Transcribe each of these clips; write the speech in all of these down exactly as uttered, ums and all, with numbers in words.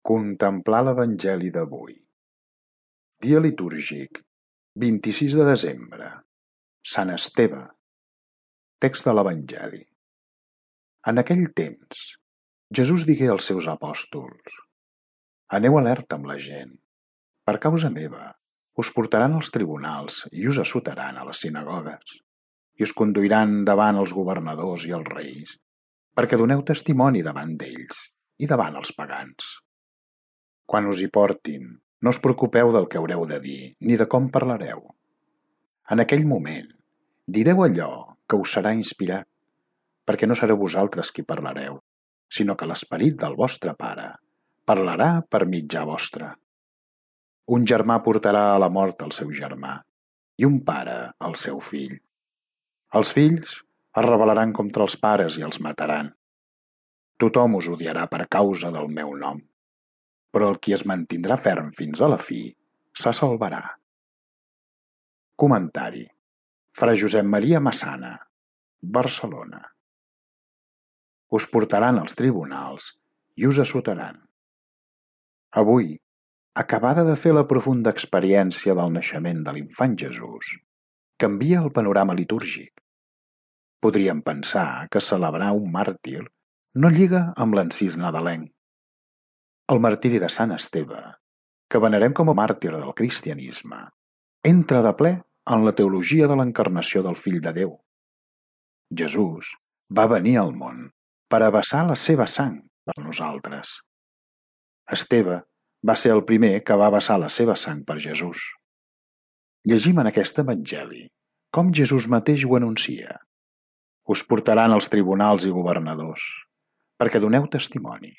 Contemplar l'Evangeli d'avui. Dia litúrgic, vint-i-sis de desembre. Sant Esteve. Text de l'Evangeli. En aquell temps, Jesús digué als seus apòstols: Aneu alerta amb la gent. Per causa meva, us portaran als tribunals i us assotaran a les sinagogues, i us conduiran davant els governadors i els reis, perquè doneu testimoni davant d'ells i davant els pagans. Quan us hi portin, no us preocupeu del que haureu de dir ni de com parlareu. En aquell moment, direu allò que us serà inspirat, perquè no sereu vosaltres qui parlareu, sinó que l'Esperit del vostre Pare parlarà per mitjà vostre. Un germà portarà a la mort el seu germà, i un pare el seu fill. Els fills es rebel·laran contra els pares i els mataran. Tothom us odiarà per causa del meu nom, però el qui es mantindrà ferm fins a la fi se salvarà. Comentari: Fra Josep Maria Massana, Barcelona. Us portaran als tribunals i us assotaran. Avui, acabada de fer la profunda experiència del naixement de l'infant Jesús, canvia el panorama litúrgic. Podríem pensar que celebrar un màrtir no lliga amb l'encís nadalenc. El martiri de Sant Esteve, que venerem com a màrtir del cristianisme, entra de ple en la teologia de l'encarnació del Fill de Déu. Jesús va venir al món per a vessar la seva sang per nosaltres. Esteve va ser el primer que va vessar la seva sang per Jesús. Llegim en aquest evangeli com Jesús mateix ho anuncia. Us portaran als tribunals i governadors, perquè doneu testimoni.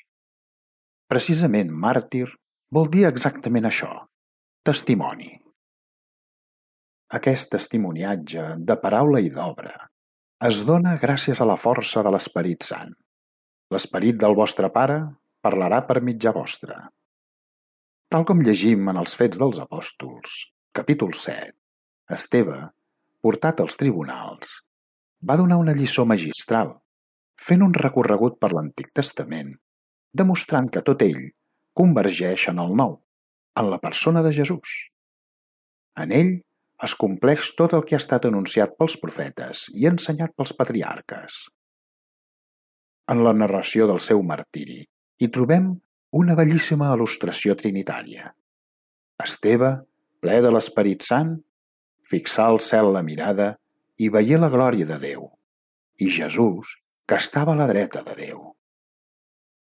Precisament màrtir vol dir exactament això, testimoni. Aquest testimoniatge de paraula i d'obra es dona gràcies a la força de l'Esperit Sant. L'Esperit del vostre Pare parlarà per mitjà vostre. Tal com llegim en els Fets dels Apòstols, capítol set, Esteve, portat als tribunals, va donar una lliçó magistral, fent un recorregut per l'Antic Testament, demostrant que tot ell convergeix en el Nou, en la persona de Jesús. En ell es compleix tot el que ha estat anunciat pels profetes i ensenyat pels patriarques. En la narració del seu martiri hi trobem una bellíssima il·lustració trinitària. Esteve, ple de l'Esperit Sant, fixà al cel la mirada i veié la glòria de Déu, i Jesús, que estava a la dreta de Déu.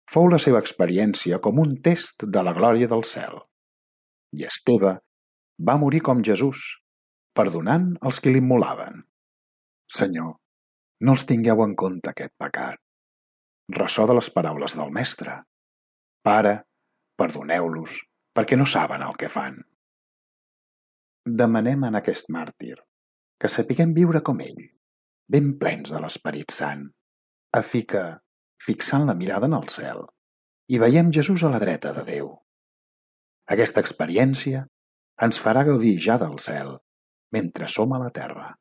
Fou la seva experiència com un test de la glòria del cel. I Esteve va morir com Jesús, perdonant els qui l'immolaven. Senyor, no els tingueu en compte aquest pecat. Ressò de les paraules del Mestre. Pare, perdoneu-los, perquè no saben el que fan. Demanem en aquest màrtir que sapiguem viure com ell, ben plens de l'Esperit Sant, a fi que, fixant la mirada en el cel, i veiem Jesús a la dreta de Déu. Aquesta experiència ens farà gaudir ja del cel mentre som a la terra.